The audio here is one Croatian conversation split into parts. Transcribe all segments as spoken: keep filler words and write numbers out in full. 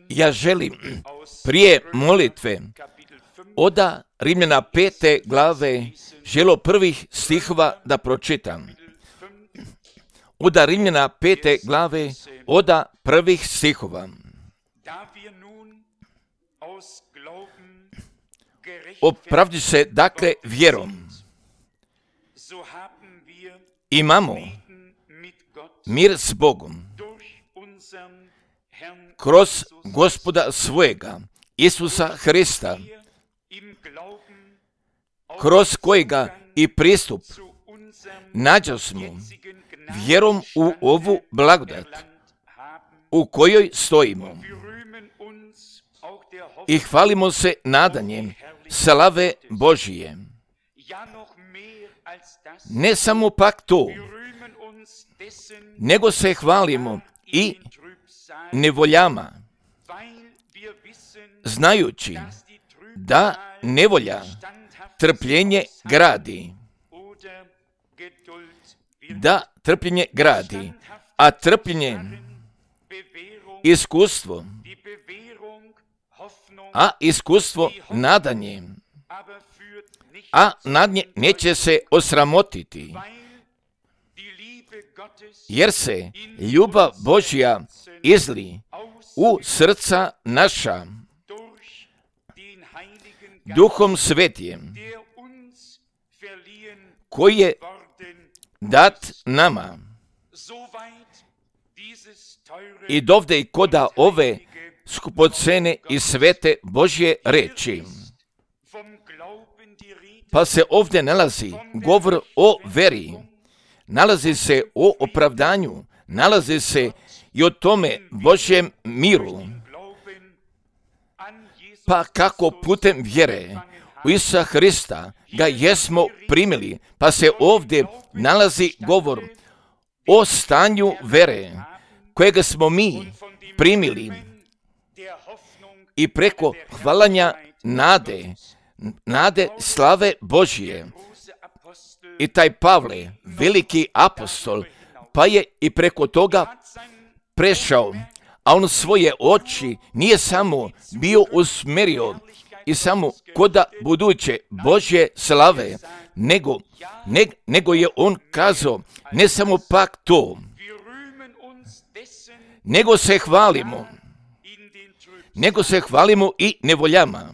Ja želim prije molitve oda Rimljana pete glave želo prvih stihova da pročitam. Oda Rimljana pete glave oda prvih stihova. Opravdi se dakle vjerom. Imamo mir s Bogom kroz Gospoda svojega, Isusa Hrista, kroz kojega i pristup nađosmo vjerom u ovu blagodat u kojoj stojimo i hvalimo se nadanjem slave Božije. Ne samo pak to, nego se hvalimo i nevoljama, znajući da nevolja trpljenje gradi, da trpljenje gradi, a trpljenje iskustvo, a iskustvo nadanje, a nadanje neće se osramotiti, jer se ljubav Božja izli u srca naša Duhom Svetijem, koji je dat nama. I dovde i koda ove skupocene i svete Božje reči. Pa se ovdje nalazi govor o veri, nalazi se o opravdanju, nalazi se i o tome Božjem miru. Pa kako putem vjere u Isusa Hrista ga jesmo primili, pa se ovdje nalazi govor o stanju vere kojega smo mi primili i preko hvalanja nade, nade slave Božije. I taj Pavle, veliki apostol, pa je i preko toga prešao, a on svoje oči nije samo bio usmjerio i samo koda buduće Božje slave, nego, ne, nego je on kazao ne samo pak to, nego se hvalimo, nego se hvalimo i nevoljama.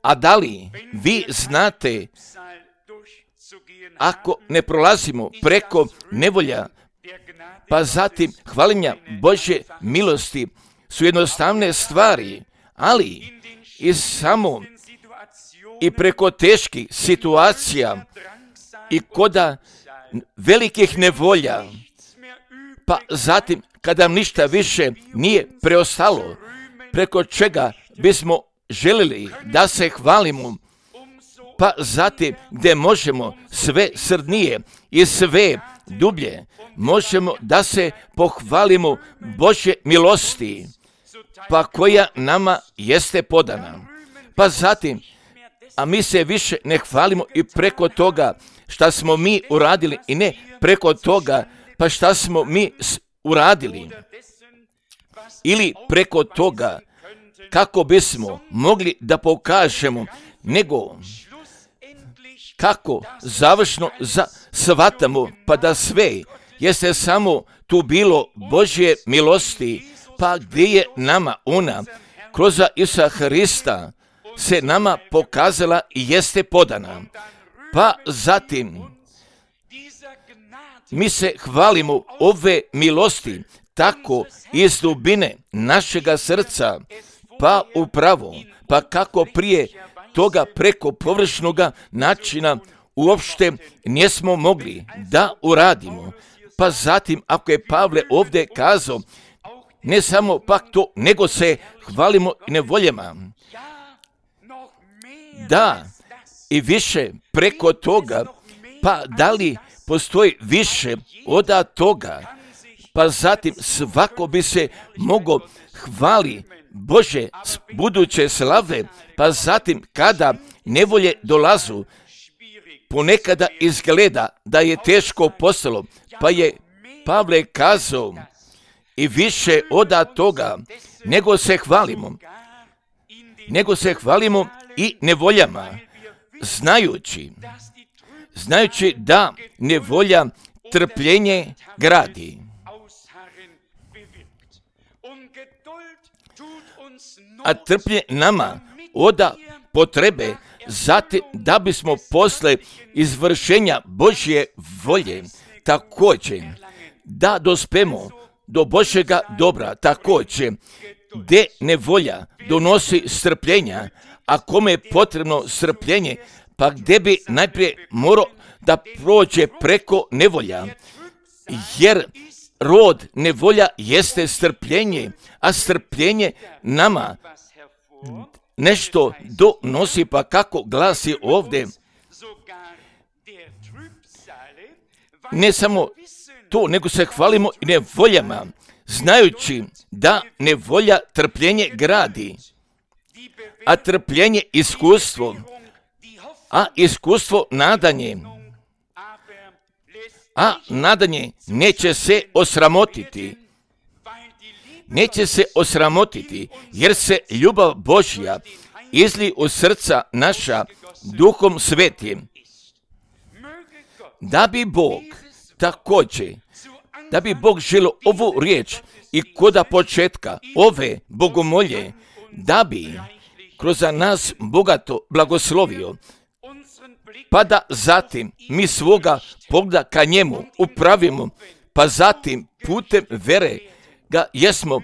A da li vi znate, ako ne prolazimo preko nevolja, pa zatim hvalenja Božje milosti su jednostavne stvari, ali i samo i preko teških situacija i koda velikih nevolja, pa zatim kada ništa više nije preostalo, preko čega bismo želili da se hvalimo, pa zatim gdje možemo sve srdnije i sve dublje, možemo da se pohvalimo Božje milosti, pa koja nama jeste podana. Pa zatim, a mi se više ne hvalimo i preko toga šta smo mi uradili i ne preko toga pa šta smo mi uradili ili preko toga kako bismo mogli da pokažemo, nego kako završno za shvatamo pa da sve jeste samo tu bilo Božje milosti, pa gdje je nama ona kroz Isusa Hrista se nama pokazala i jeste podana. Pa zatim mi se hvalimo ove milosti tako iz dubine našega srca, pa upravo, pa kako prije toga preko površnoga načina uopšte nismo mogli da uradimo. Pa zatim, ako je Pavle ovdje kazao, ne samo pak to, nego se hvalimo i nevoljama. Da, i više preko toga, pa da li postoji više od toga, pa zatim svako bi se mogao hvali Bože buduće slave, pa zatim kada nevolje dolazu, ponekada izgleda da je teško postalo, pa je Pavle kazao i više od toga, nego se hvalimo, nego se hvalimo i nevoljama, znajući, znajući da nevolja trpljenje gradi. A trpljenje nama oda potrebe zatim da bismo posle izvršenja Božje volje također da dospemo do Božjega dobra, također gdje nevolja donosi strpljenja, a kome je potrebno strpljenje, pa gdje bi najprije morao da prođe preko nevolja, jer rod nevolja jeste strpljenje, a strpljenje nama nešto donosi, pa kako glasi ovdje, ne samo to, nego se hvalimo i nevoljama, znajući da nevolja trpljenje gradi, a trpljenje iskustvo, a iskustvo nadanje, a nadanje neće se osramotiti, neće se osramotiti, jer se ljubav Božja izli u srca naša Duhom Svetim, da bi Bog također, da bi Bog želio ovu riječ i koda početka ove bogomolje, da bi kroz nas bogato blagoslovio, pa da zatim mi svoga pogleda ka njemu upravimo, pa zatim putem vere ga jesmo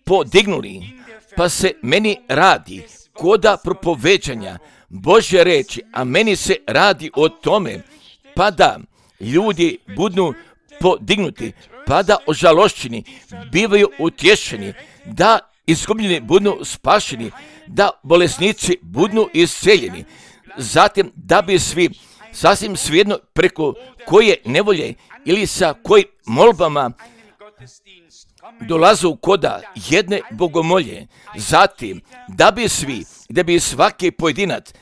podignuli, pa se meni radi koda propoveđanja Božje reči, a meni se radi o tome, pa da ljudi budu podignuti, pa da ožalošćeni bivaju utješeni, da izgubljeni budu spašeni, da bolesnici budu isceljeni, zatim da bi svi sasvim svejedno preko koje nevolje ili sa kojim molbama dolazu koda jedne bogomolje, zatim da bi svi, da bi svaki pojedinac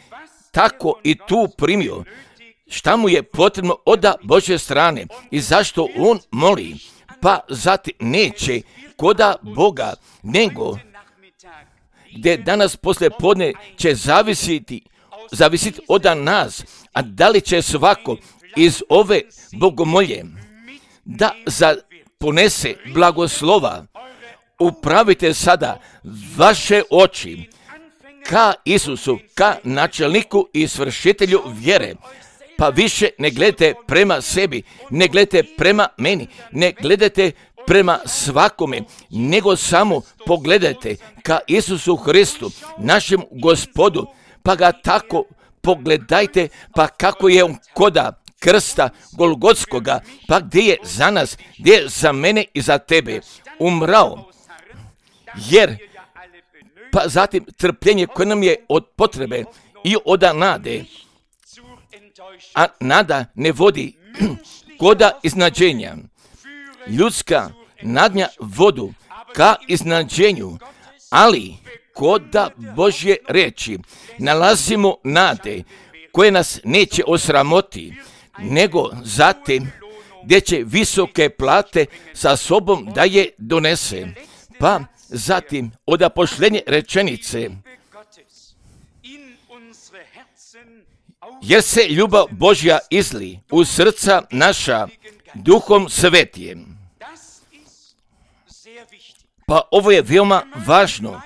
tako i tu primio šta mu je potrebno od Božje strane i zašto on moli, pa zatim neće koda Boga, nego gdje danas poslije podne će zavisiti, zavisiti od nas, a da li će svako iz ove bogomolje da za ponese blagoslova. Upravite sada vaše oči ka Isusu, ka načelniku i svršitelju vjere, pa više ne gledajte prema sebi, ne gledajte prema meni, ne gledajte prema svakome, nego samo pogledajte ka Isusu Hristu, našem Gospodu, pa ga tako pogledajte, pa kako je on koda krsta Golgotskoga, pa gdje je za nas, gdje je za mene i za tebe umrao, jer pa zatim trpljenje koje nam je od potrebe i od nade, a nada ne vodi koda iznađenja. Ljudska nadnja vodu ka iznađenju, ali koda Božje reči nalazimo nade koje nas neće osramoti, nego zatim gdje će visoke plate sa sobom da je donese. Pa zatim od posljednje rečenice, jer se ljubav Božja izli u srca naša Duhom Svetijem. Pa ovo je veoma važno,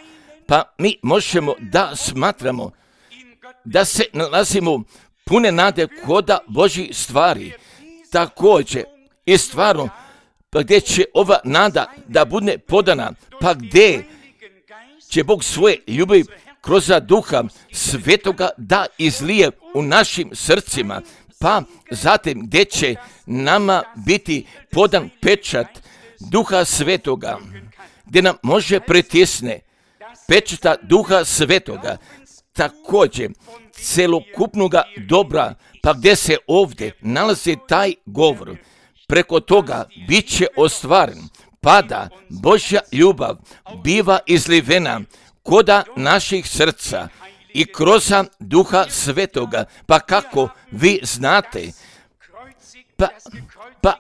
pa mi možemo da smatramo da se nalazimo pune nade koda Božji stvari, također i stvarno, pa gdje će ova nada da bude podana, pa gdje će Bog svoje ljubavi kroz Duha Svetoga da izlije u našim srcima, pa zatim gdje će nama biti podan pečat Duha Svetoga, gdje nam može pritisne pečata Duha Svetoga, također celokupnoga dobra, pa gdje se ovdje nalazi taj govor, preko toga bit će ostvaren, pa da Božja ljubav biva izlivena koda naših srca i kroz Duha Svetoga, pa kako vi znate, pa, pa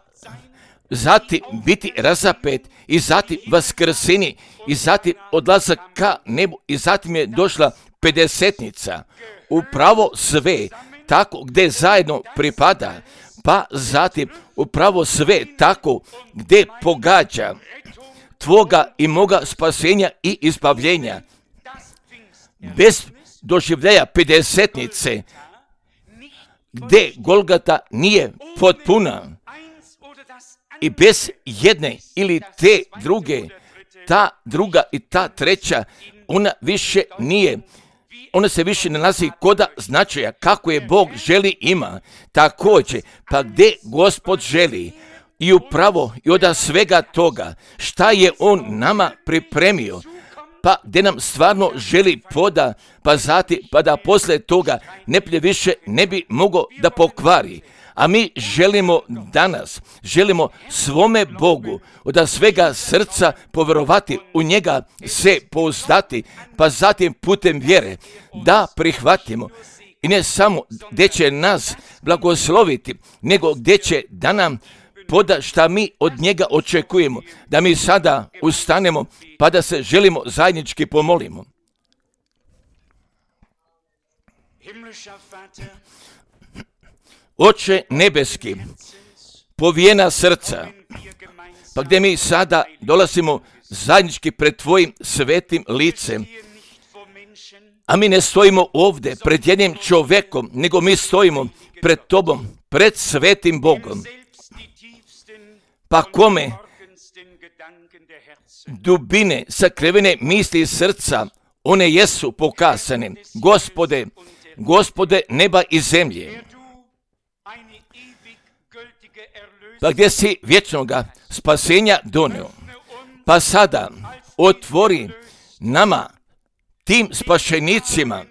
zatim biti razapet i zatim vaskrsini i zatim odlazak ka nebu i zatim je došla pedesetnica. Upravo sve tako gdje zajedno pripada, pa zatim upravo sve tako gdje pogađa tvoga i moga spasenja i izbavljenja. Bez doživljaja pedesetnice, gdje Golgata nije potpuna i bez jedne ili te druge, ta druga i ta treća, ona više nije, ona se više ne nalazi koda značaja kako je Bog želi ima. Također, pa gdje Gospod želi i upravo i od svega toga šta je On nama pripremio, pa gdje nam stvarno želi poda, pa zati, pa da poslije toga neplje više ne bi mogao da pokvari. A mi želimo danas, želimo svome Bogu od svega srca povjerovati, u njega se pouzdati, pa zatim putem vjere da prihvatimo. I ne samo gdje će nas blagosloviti, nego gdje će da nam poda šta mi od njega očekujemo, da mi sada ustanemo pa da se želimo zajednički pomolimo. Oče nebeski, povijena srca, pa gdje mi sada dolazimo zajednički pred Tvojim svetim licem, a mi ne stojimo ovdje pred jednim čovjekom, nego mi stojimo pred Tobom, pred svetim Bogom. Pa kome dubine sakrivene misli srca, one jesu pokazane. Gospode, Gospode neba i zemlje, pa gdje si vječnoga spasenja donio, pa sada otvori nama, tim spašenicima,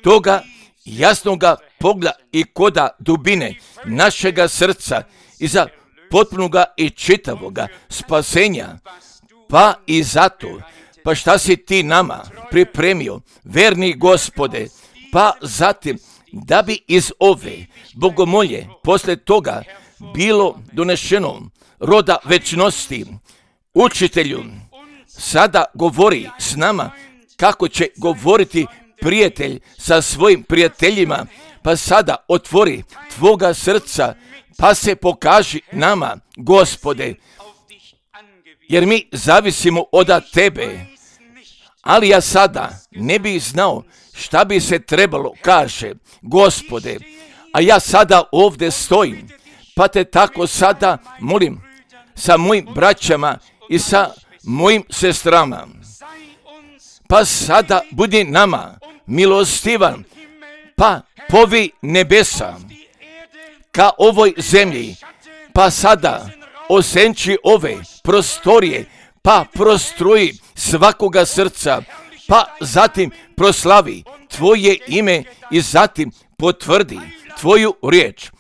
toga jasnoga pogleda i koda dubine našega srca i za potpunoga i čitavoga spasenja, pa i zato, pa šta si ti nama pripremio, verni Gospode, pa zatim da bi iz ove bogomolje posle toga bilo donešeno roda večnosti. Učitelju, sada govori s nama kako će govoriti prijatelj sa svojim prijateljima, pa sada otvori Tvoga srca, pa se pokaži nama, Gospode, jer mi zavisimo od Tebe, ali ja sada ne bih znao šta bi se trebalo, kaže, Gospode, a ja sada ovdje stojim, pa te tako sada molim sa mojim braćama i sa mojim sestrama, pa sada budi nama milostivan, pa povi nebesa ka ovoj zemlji, pa sada osenči ove prostorije, pa prostruji svakoga srca, pa zatim proslavi Tvoje ime i zatim potvrdi Tvoju riječ.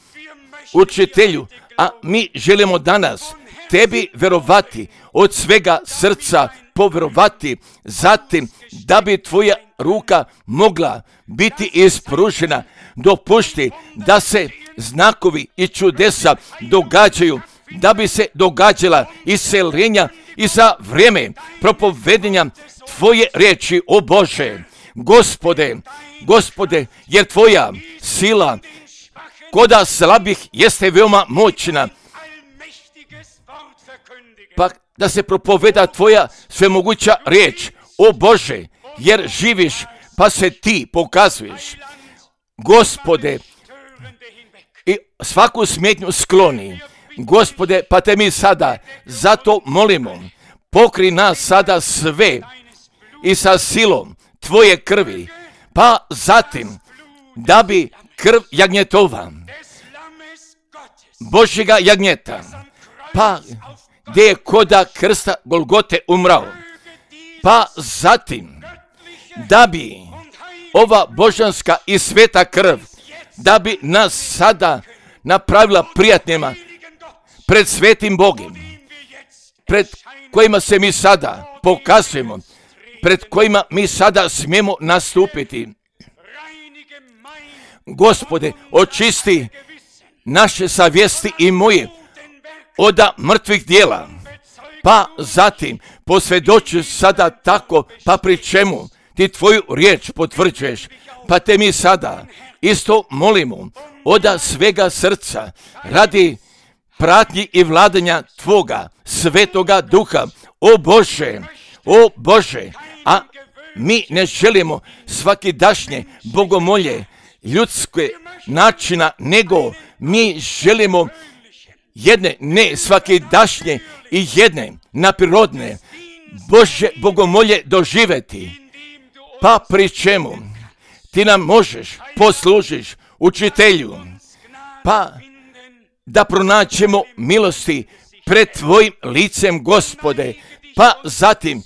Učitelju, a mi želimo danas Tebi verovati, od svega srca povjerovati, zatim da bi Tvoja ruka mogla biti ispružena. Dopušti da se znakovi i čudesa događaju, da bi se događala iseljenja i za vrijeme propovedenja Tvoje riječi, o Bože. Gospode, Gospode, jer Tvoja sila koda slabih jeste veoma moćna, pa da se propoveda Tvoja svemoguća riječ, o Bože, jer živiš pa se Ti pokazuješ. Gospode, i svaku smetnju skloni. Gospode, pa te mi sada zato molimo, pokri nas sada sve i sa silom Tvoje krvi, pa zatim da bi krv jagnjetova, Božjega jagnjeta, pa gdje je koda krsta Golgote umrao, pa zatim da bi ova božanska i sveta krv, da bi nas sada napravila prijatnima pred svetim Bogom, pred kojima se mi sada pokazujemo, pred kojima mi sada smijemo nastupiti. Gospode, očisti naše savjesti i moje od mrtvih dijela. Pa zatim posvjedoči sada tako, pa pri čemu ti tvoju riječ potvrđuješ, pa te mi sada isto molimo od svega srca radi pratnji i vladanja tvoga svetoga duha. O Bože, o Bože, a mi ne želimo svakidašnje bogomolje ljudske načina, nego mi želimo jedne ne svakidašnje i jedne naprirodne Bože bogomolje doživjeti. Pa pri čemu ti nam možeš poslužiš učitelju, pa da pronaćemo milosti pred tvojim licem, Gospode, pa zatim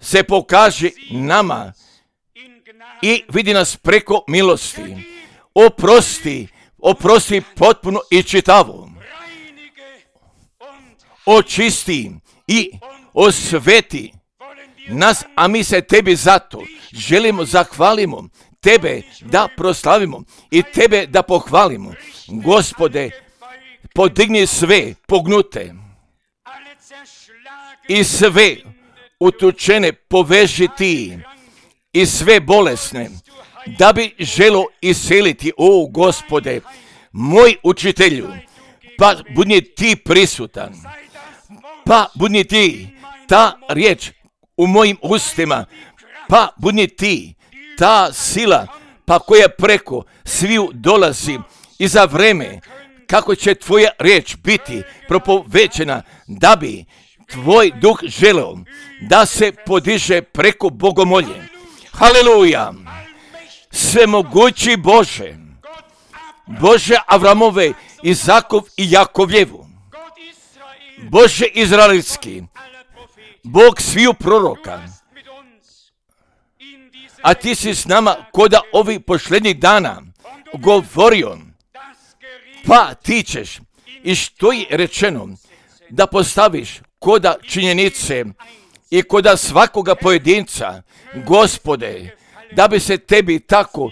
se pokaži nama i vidi nas preko milosti. Oprosti, oprosti potpuno i čitavo. Očisti i osveti nas, a mi se tebi zato želimo zahvalimo, tebe da proslavimo i tebe da pohvalimo. Gospode, podigni sve pognute i sve utučene poveži ti i sve bolesne, da bi želo iseliti, o Gospode, moj učitelju, pa budi ti prisutan, pa budi ti ta riječ u mojim ustima, pa budi ti ta sila, pa koja preko sviju dolazi i za vreme kako će tvoja riječ biti propovećena, da bi tvoj duh želeo da se podiže preko bogomolje. Haleluja! Svemogući Bože, Bože Avramove, Izakov i Jakovljevu, Bože Izraelski, Bog sviju proroka, a ti si s nama koda ovih posljednjih dana govorio, pa ti ćeš i što je rečeno da postaviš koda činjenice i koda svakoga pojedinca, Gospode, da bi se tebi tako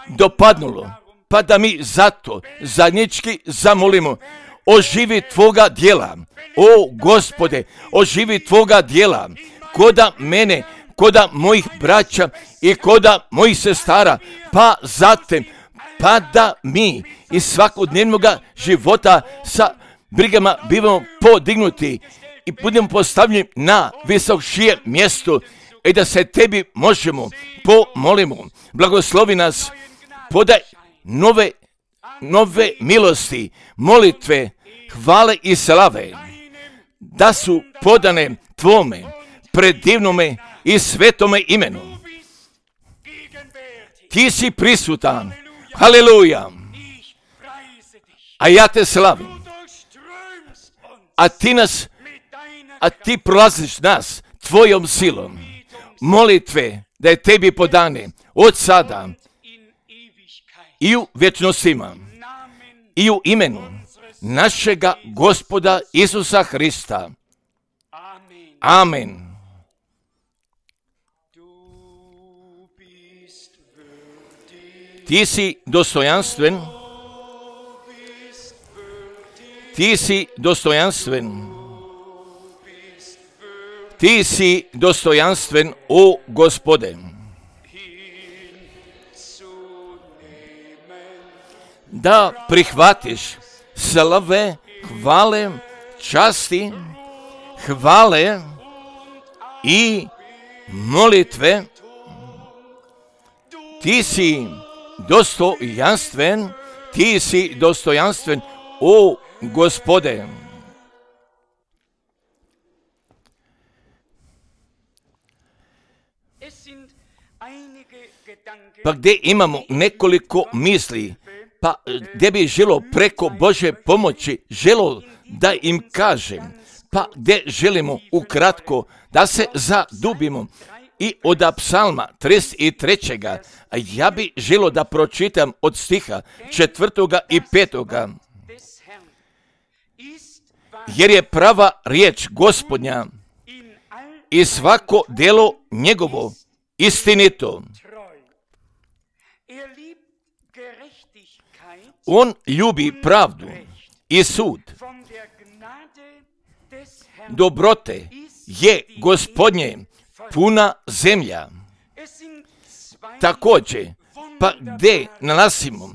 dopadnulo, pa da mi zato zajednički zamolimo, oživi tvoga djela, o Gospode, oživi tvoga djela, koda mene, koda mojih braća i koda mojih sestara, pa zatim, pa da mi iz svakodnevnog života sa brigama bivamo podignuti i budemo postavljeni na visokšije mjesto i da se tebi možemo pomolimo. Blagoslovi nas, podaj nove, nove milosti, molitve, hvale i slave, da su podane tvome predivnome i svetome imenu. Ti si prisutan, haleluja, a ja te slavim, a ti nas, a ti prolaziš nas tvojom silom. Molitve da je tebi podane od sada i u vječnostima i u imenu našega Gospoda Isusa Hrista. Amen. Ti si dostojanstven, ti si dostojanstven, ti si dostojanstven, o Gospode. Da prihvatiš slave, hvale, časti, hvale i molitve. Ti si dostojanstven, ti si dostojanstven, o Gospode. Pa gdje imamo nekoliko misli, pa gdje bi želo preko Bože pomoći, želo da im kažem, pa gdje želimo ukratko da se zadubimo i od psalma trideset trećeg. Ja bi želo da pročitam od stiha četvrtoga i petoga. Jer je prava riječ Gospodnja i svako djelo njegovo istinito. On ljubi pravdu i sud dobrote je Gospodnje puna zemlja. Također, pa gdje nalazimo,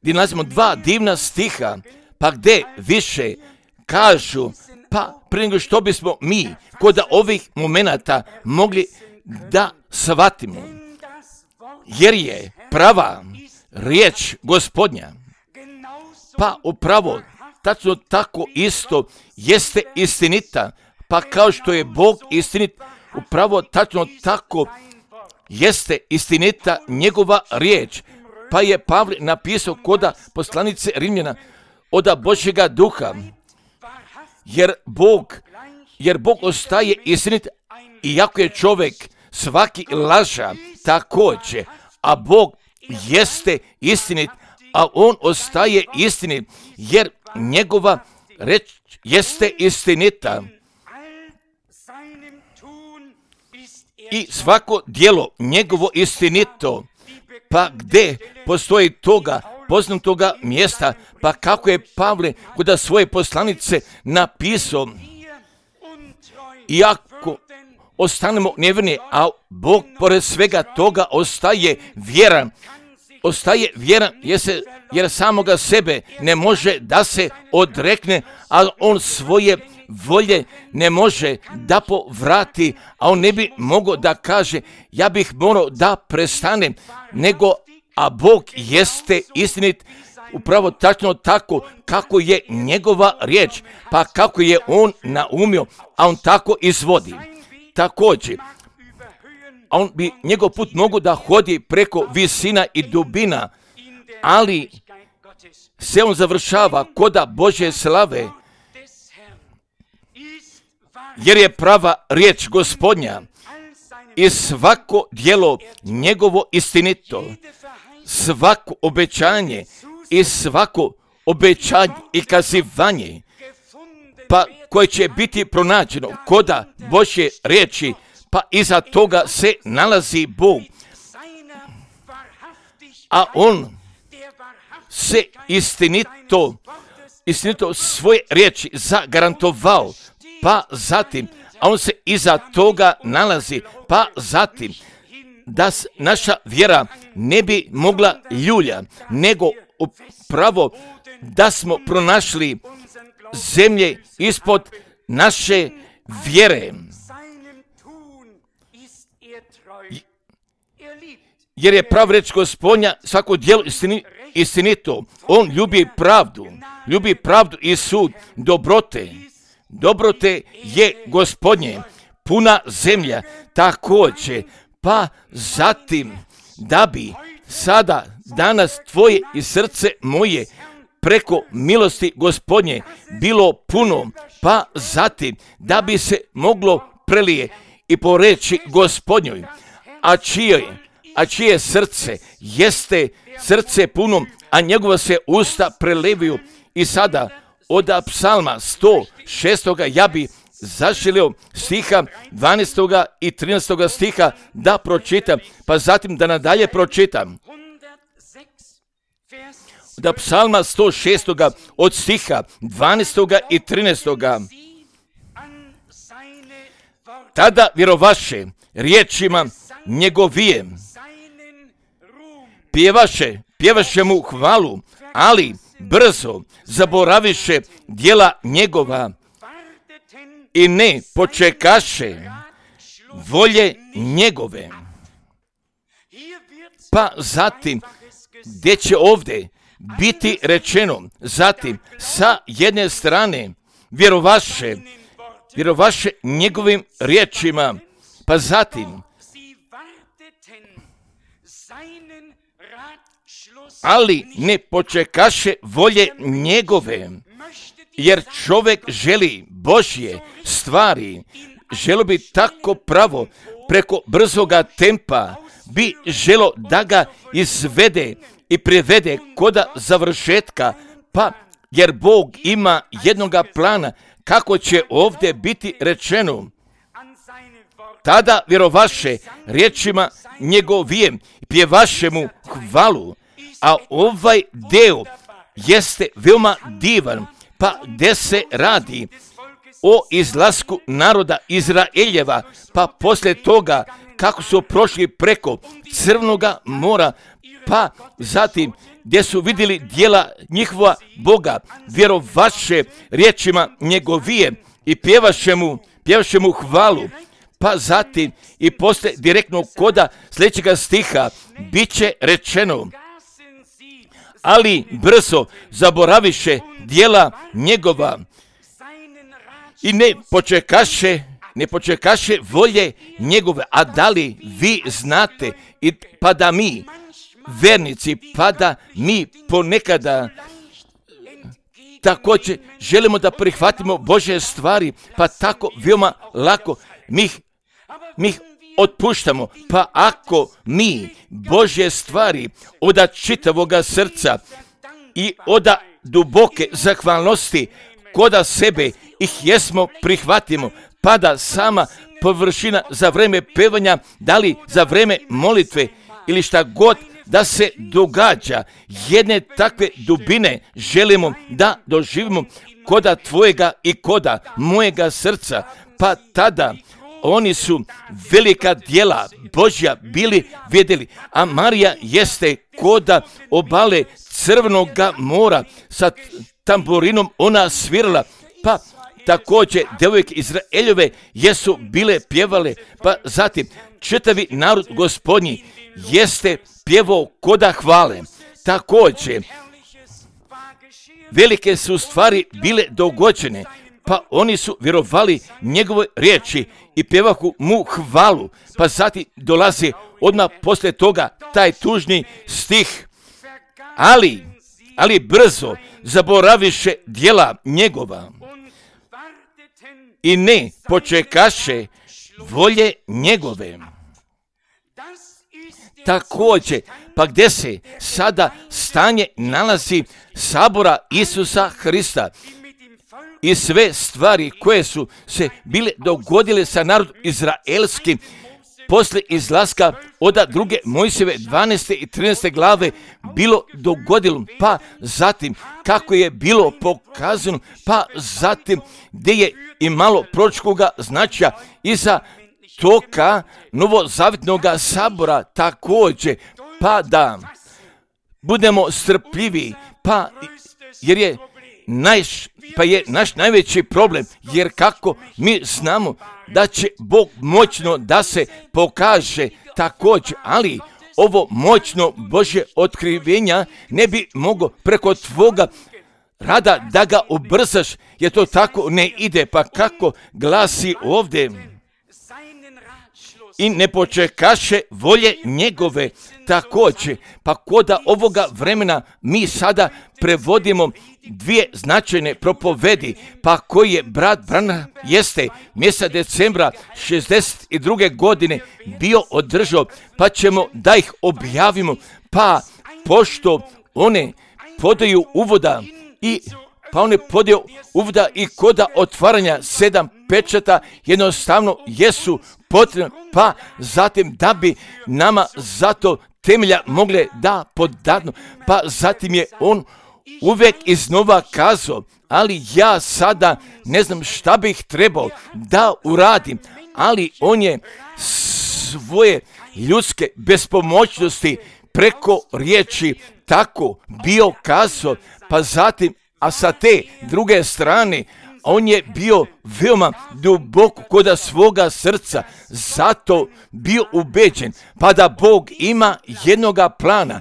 gdje nalazimo dva divna stiha, pa gdje više kažu, pa prije nego što bismo mi kod ovih momenata mogli da shvatimo, jer je prava riječ Gospodnja, pa upravo tačno tako isto jeste istinita, pa kao što je Bog istinit, upravo tačno tako jeste istinita njegova riječ. Pa je Pavle napisao koda poslanice Rimljana oda Božjega duha, jer Bog, jer Bog ostaje istinit, iako je čovjek svaki laža također, a Bog jeste istinit, a on ostaje istinit, jer njegova reč jeste istinita. I svako djelo njegovo istinito, pa gdje postoji toga, poznatoga mjesta, pa kako je Pavle kod svoje poslanice napisao, iako ostanemo nevjerni, a Bog pored svega toga ostaje vjeran, ostaje vjeran jer, se, jer samoga sebe ne može da se odrekne, a on svoje volje ne može da povrati, a on ne bi mogao da kaže ja bih morao da prestanem, nego a Bog jeste istinit, upravo tačno tako kako je njegova riječ, pa kako je on naumio, a on tako izvodi. Također, a on bi njegov put mogu da hodi preko visina i dubina, ali se on završava koda Božje slave, jer je prava riječ Gospodnja i svako djelo njegovo istinito, svako obećanje i svako obećanje i kazivanje, pa koje će biti pronađeno koda Božje riječi, pa iza toga se nalazi Bog, a on se istinito, istinito svoje riječi zagarantovao, pa zatim, a on se iza toga nalazi, pa zatim, da naša vjera ne bi mogla ljulja, nego upravo da smo pronašli zemlje ispod naše vjere. Jer je prav reč Gospodnja svako djelo istini, istinito. On ljubi pravdu, ljubi pravdu i sud, dobrote. Dobrote je Gospodnje, puna zemlja također, pa zatim da bi sada, danas tvoje i srce moje preko milosti Gospodnje bilo puno, pa zatim da bi se moglo prelije i po reči Gospodnjoj, a čije, a čije srce jeste srce puno, a njegova se usta preleviju. I sada od psalma sto šest. ja bi zaželio stiha dvanaestog i trinaestog stiha da pročitam, pa zatim da nadalje pročitam. Od psalma sto šest. od stiha dvanaestog i trinaestog. Tada vjerovaše riječima njegovijem, pjevaše, pjevaše mu hvalu, ali brzo zaboraviše djela njegova i ne počekaše volje njegove. Pa zatim, gdje će ovdje biti rečeno, zatim sa jedne strane vjerovaše, vjerovaše njegovim riječima, pa zatim ali ne počekaše volje njegove, jer čovjek želi Božje stvari, želo bi tako pravo preko brzoga tempa, bi želo da ga izvede i privede koda završetka, pa jer Bog ima jednoga plana kako će ovdje biti rečeno. Tada vjerovaše riječima njegovijem, pjevaše mu hvalu, a ovaj deo jeste veoma divan, pa gdje se radi o izlasku naroda Izraeljeva, pa poslije toga kako su prošli preko Crvenoga mora, pa zatim gdje su vidjeli djela njihova Boga, vjerovaše riječima njegovije i pjevaše mu, pjevaše mu hvalu. Pa zatim i poslije direktnog koda sljedećega stiha bit će rečeno, ali brzo zaboraviše djela njegova i ne počekaše, ne počekaše volje njegove. A da li vi znate, i pa da mi, vernici, pa da mi ponekada također želimo da prihvatimo Božje stvari, pa tako veoma lako mi ih mi ih otpuštamo. Pa ako mi Božje stvari oda čitavoga srca i oda duboke zahvalnosti koda sebe ih jesmo prihvatimo, pa da sama površina za vreme pevanja, da li za vreme molitve ili šta god da se događa, jedne takve dubine želimo da doživimo koda tvojega i koda mojega srca, pa tada oni su velika djela Božja bili vidjeli, a Marija jeste koda obale Crvenoga mora sa tamburinom ona svirala, pa također djevojke Izraeljove jesu bile pjevale, pa zatim čitavi narod Gospodnji jeste pjevao koda hvale. Također velike su stvari bile dogođene, pa oni su vjerovali njegove riječi i pjevahu mu hvalu. Pa zatim dolazi odmah poslije toga taj tužni stih, ali, ali brzo zaboraviše djela njegova i ne počekaše volje njegove. Također, pa gdje se sada stanje nalazi sabora Isusa Hrista i sve stvari koje su se bile dogodile sa narodom izraelskim poslije izlaska od druge Mojsijeve dvanaeste i trinaeste glave bilo dogodilo, pa zatim kako je bilo pokazano, pa zatim gdje je imalo proročkoga značaja iza toka novozavjetnog sabora također, pa da budemo strpljivi, pa jer je naš, pa je naš najveći problem, jer kako mi znamo da će Bog moćno da se pokaže također, ali ovo moćno Božje otkrivenja ne bi moglo preko tvoga rada da ga ubrzaš, jer to tako ne ide, pa kako glasi ovdje, i ne počekaše volje njegove također. Pa koda ovoga vremena mi sada prevodimo dvije značajne propovedi, pa koji je brat Branham jeste mjeseca decembra šezdeset druge godine bio održao, pa ćemo da ih objavimo, pa pošto one podaju uvoda i pa one podaju uvoda i koda otvaranja sedam pečata jednostavno jesu potrebne, pa zatim da bi nama zato temelja mogle da podadnu, pa zatim je on uvijek iznova kazao, ali ja sada ne znam šta bih trebao da uradim, ali on je svoje ljudske bespomoćnosti preko riječi tako bio kazao, pa zatim, a sa te druge strane, on je bio veoma duboko koda svoga srca, zato bio ubeđen, pa da Bog ima jednoga plana,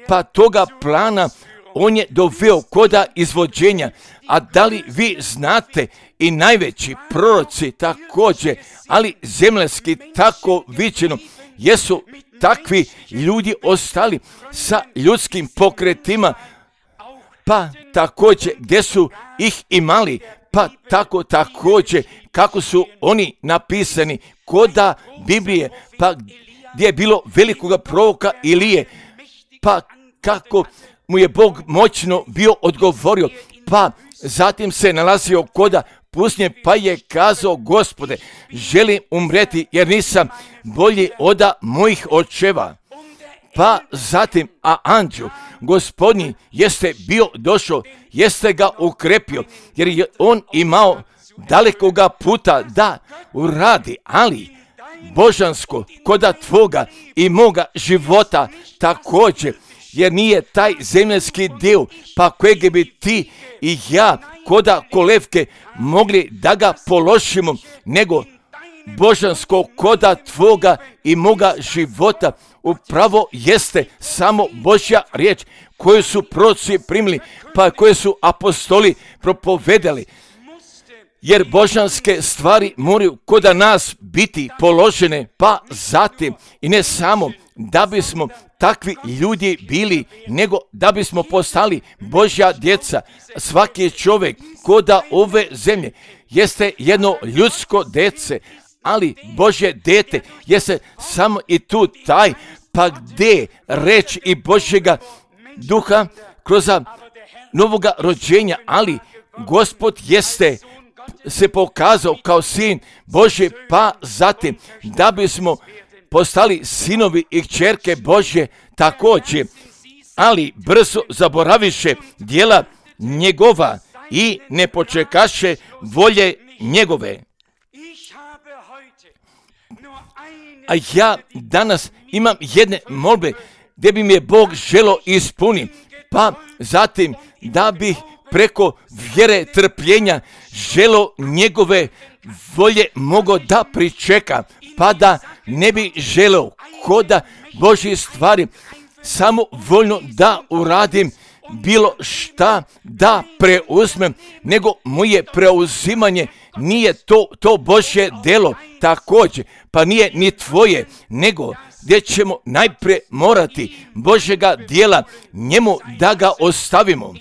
pa toga plana on je doveo koda izvođenja. A da li vi znate i najveći proroci također, ali zemljanski tako viđeno, jesu takvi ljudi ostali sa ljudskim pokretima, pa također gdje su ih imali, pa tako također kako su oni napisani koda Biblije, pa gdje je bilo velikoga proroka Ilije, pa kako mu je Bog moćno bio odgovorio, pa zatim se nalazio koda pustinje, pa je kazao, Gospode, želim umreti jer nisam bolji oda mojih očeva. Pa zatim, a anđeo Gospodnji jeste bio došao, jeste ga ukrepio, jer je on imao dalekoga puta da uradi, ali božansko koda tvoga i moga života također, jer nije taj zemljski dio, pa kojeg bi ti i ja koda kolevke mogli da ga položimo, nego božansko koda tvoga i moga života upravo jeste samo Božja riječ koju su proroci primili, pa koje su apostoli propovedali. Jer božanske stvari moraju koda nas biti položene, pa zatim i ne samo da bismo takvi ljudi bili, nego da bismo postali Božja djeca. Svaki čovjek koda ove zemlje jeste jedno ljudsko dece, ali Božje dete jeste samo i tu taj, pa gdje reč i Božjega duha kroz novoga rođenja, ali Gospod jeste se pokazao kao sin Božji, pa zatim da bismo postali sinovi i kćerke Božje također, ali brzo zaboraviše djela njegova i ne počekaše volje njegove. A ja danas imam jedne molbe gdje bi mi je Bog želo ispuniti, pa zatim da bih preko vjere trpljenja želo njegove volje mogo da pričeka, pa da ne bi želeo koda Božje stvari samo voljno da uradim bilo šta da preuzmem, nego moje preuzimanje nije to, to Božje delo također, pa nije ni tvoje, nego gdje ćemo najprije morati Božjega dijela njemu da ga ostavimo,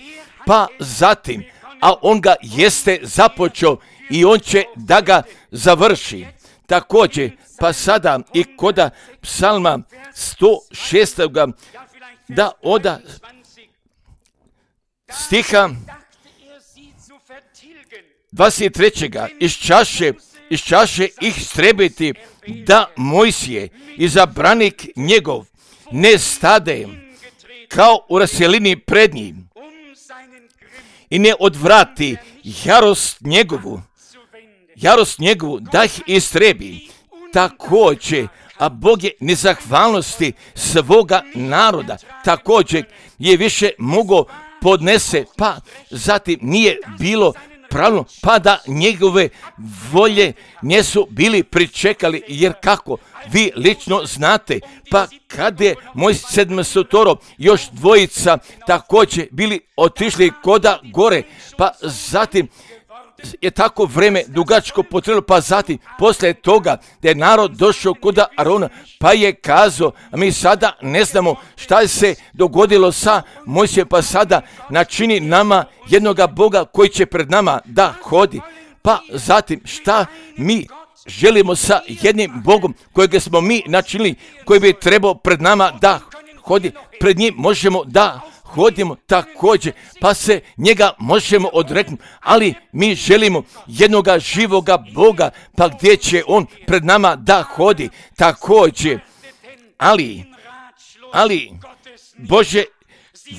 pa zatim, a on ga jeste započeo i on će da ga završi. Također, pa sada i koda psalma sto šest. da oda stiha dvadeset tri. Iz čaše, iz čaše ih strebiti da Mojsije i zabranik njegov ne stade kao u raselini pred njim i ne odvrati jarost njegovu, jarost njegovu da ih istrebi. Također, a Bog je nezahvalnosti svoga naroda također je više mogao podnese, pa zatim nije bilo pravilno, pa da njegove volje nisu bili pričekali, jer kako vi lično znate, pa kad je moj sedmestotoro još dvojica također bili otišli koda gore, pa zatim je tako vreme dugačko potrebno, pa zatim poslije toga da je narod došao koda Arona, pa je kazao, a mi sada ne znamo šta se dogodilo sa Mojsijem, pa sada načini nama jednoga Boga koji će pred nama da hodi. Pa zatim šta mi želimo sa jednim Bogom kojeg smo mi načinili, koji bi trebao pred nama da hodi, pred njim možemo da hodimo također, pa se njega možemo odreknuti, ali mi želimo jednoga živoga Boga, pa gdje će on pred nama da hodi također, ali, ali Bože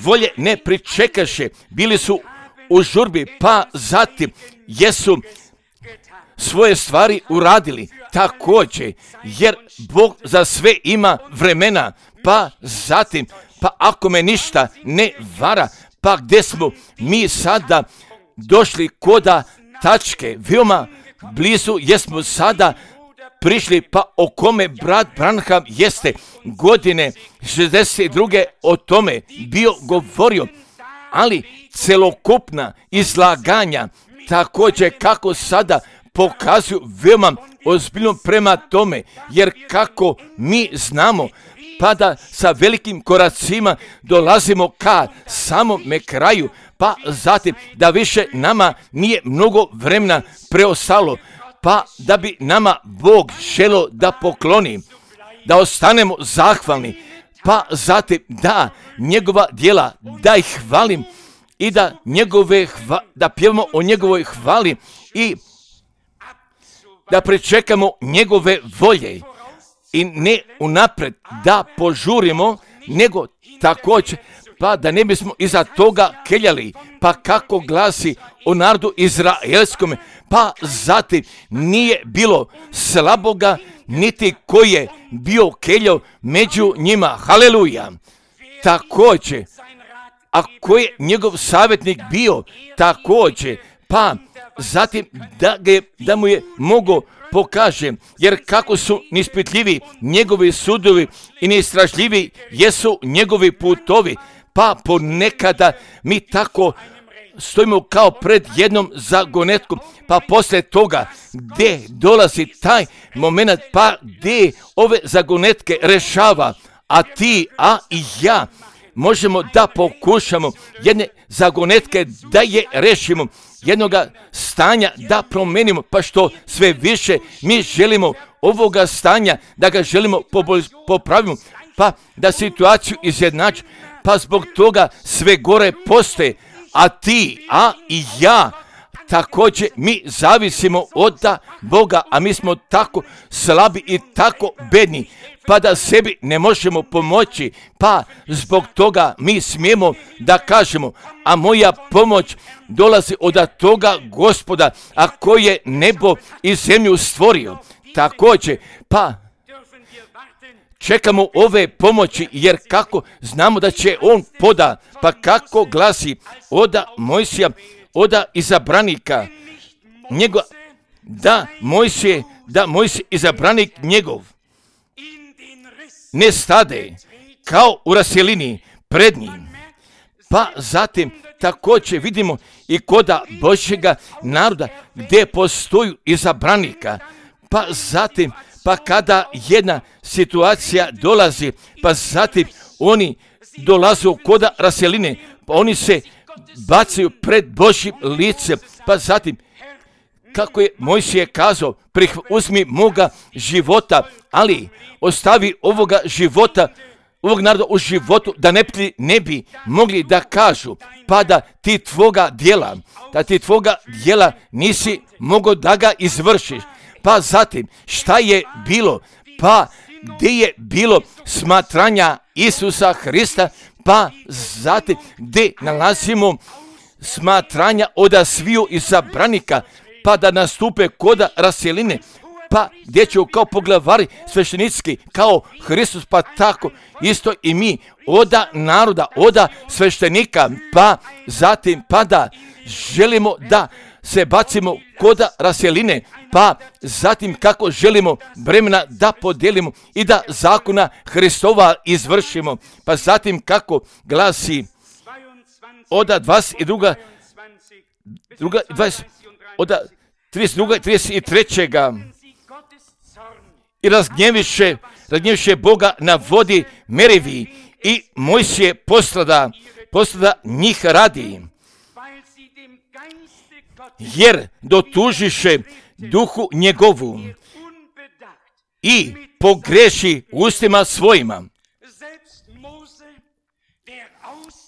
volje ne pričekaše, bili su u žurbi, pa zatim jesu svoje stvari uradili također, jer Bog za sve ima vremena, pa zatim, pa ako me ništa ne vara, pa gdje smo mi sada došli koda tačke, veoma blizu jesmo sada prišli, pa o kome brat Branham jeste godine šezdeset druge o tome bio govorio, ali celokupna izlaganja također kako sada pokazuju veoma ozbiljno prema tome, jer kako mi znamo, pa da sa velikim koracima dolazimo ka samome kraju, pa zatim da više nama nije mnogo vremena preostalo, pa da bi nama Bog želio da pokloni, da ostanemo zahvalni, pa zatim da njegova djela, da ih hvalim i da, njegove hva, da pjevamo o njegovoj hvali i da pričekamo njegove volje i ne unapred da požurimo, nego također pa da ne bismo iza toga keljali, pa kako glasi o narodu izraelskom, pa zatim nije bilo slaboga, niti koji je bio keljao među njima. Haleluja! Također, a koji je njegov savjetnik bio, također, pa zatim da, ga je, da mu je mogao pokaže, jer kako su nispitljivi njegovi sudovi i neistražljivi jesu njegovi putovi, pa ponekada mi tako stojimo kao pred jednom zagonetkom, pa poslije toga gdje dolazi taj moment, pa gdje ove zagonetke rešava, a ti, a i ja možemo da pokušamo jedne zagonetke da je rešimo, jednoga stanja da promenimo, pa što sve više mi želimo ovoga stanja, da ga želimo popravimo, pa da situaciju izjednači, pa zbog toga sve gore postoje, a ti, a i ja, također mi zavisimo od Boga, a mi smo tako slabi i tako bedni, pa da sebi ne možemo pomoći, pa zbog toga mi smijemo da kažemo, a moja pomoć dolazi od toga Gospoda, a koji je nebo i zemlju stvorio. Također, pa čekamo ove pomoći, jer kako znamo da će on poda, pa kako glasi oda Mojsija, oda izabranika njegov, da Mojsije, da Mojsije izabranik njegov ne stade kao u raselini pred njim. Pa zatim također vidimo i koda Božjega naroda gdje postoju izabranika, pa zatim pa kada jedna situacija dolazi, pa zatim oni dolaze u koda raseline, pa oni se bacaju pred Božjim licem, pa zatim kako je Mojsije kazao, prih, uzmi moga života, ali ostavi ovoga života, ovog naroda u životu, da ne, ne bi mogli da kažu, pa da ti tvoga djela, da ti tvoga djela nisi mogao da ga izvršiš. Pa zatim, šta je bilo? Pa gdje je bilo smatranja Isusa Hrista, pa zatim gdje nalazimo smatranja od sviju izabranika, pa da nastupe koda raseline, pa gdje će kao poglavari sveštenički, kao Hristos, pa tako isto i mi, oda naroda, oda sveštenika, pa zatim pa da želimo da se bacimo koda raseline, pa zatim kako želimo bremena da podijelimo i da zakona Hristova izvršimo, pa zatim kako glasi oda dvadeset druga, druga, dvadeset, oda trideset druga, trideset treća i razgnjeviše, razgnjeviše Boga na vodi Merivi i Mojsije postrada, postrada njih radi, jer dotužiše duhu njegovu i pogreši ustima svojima.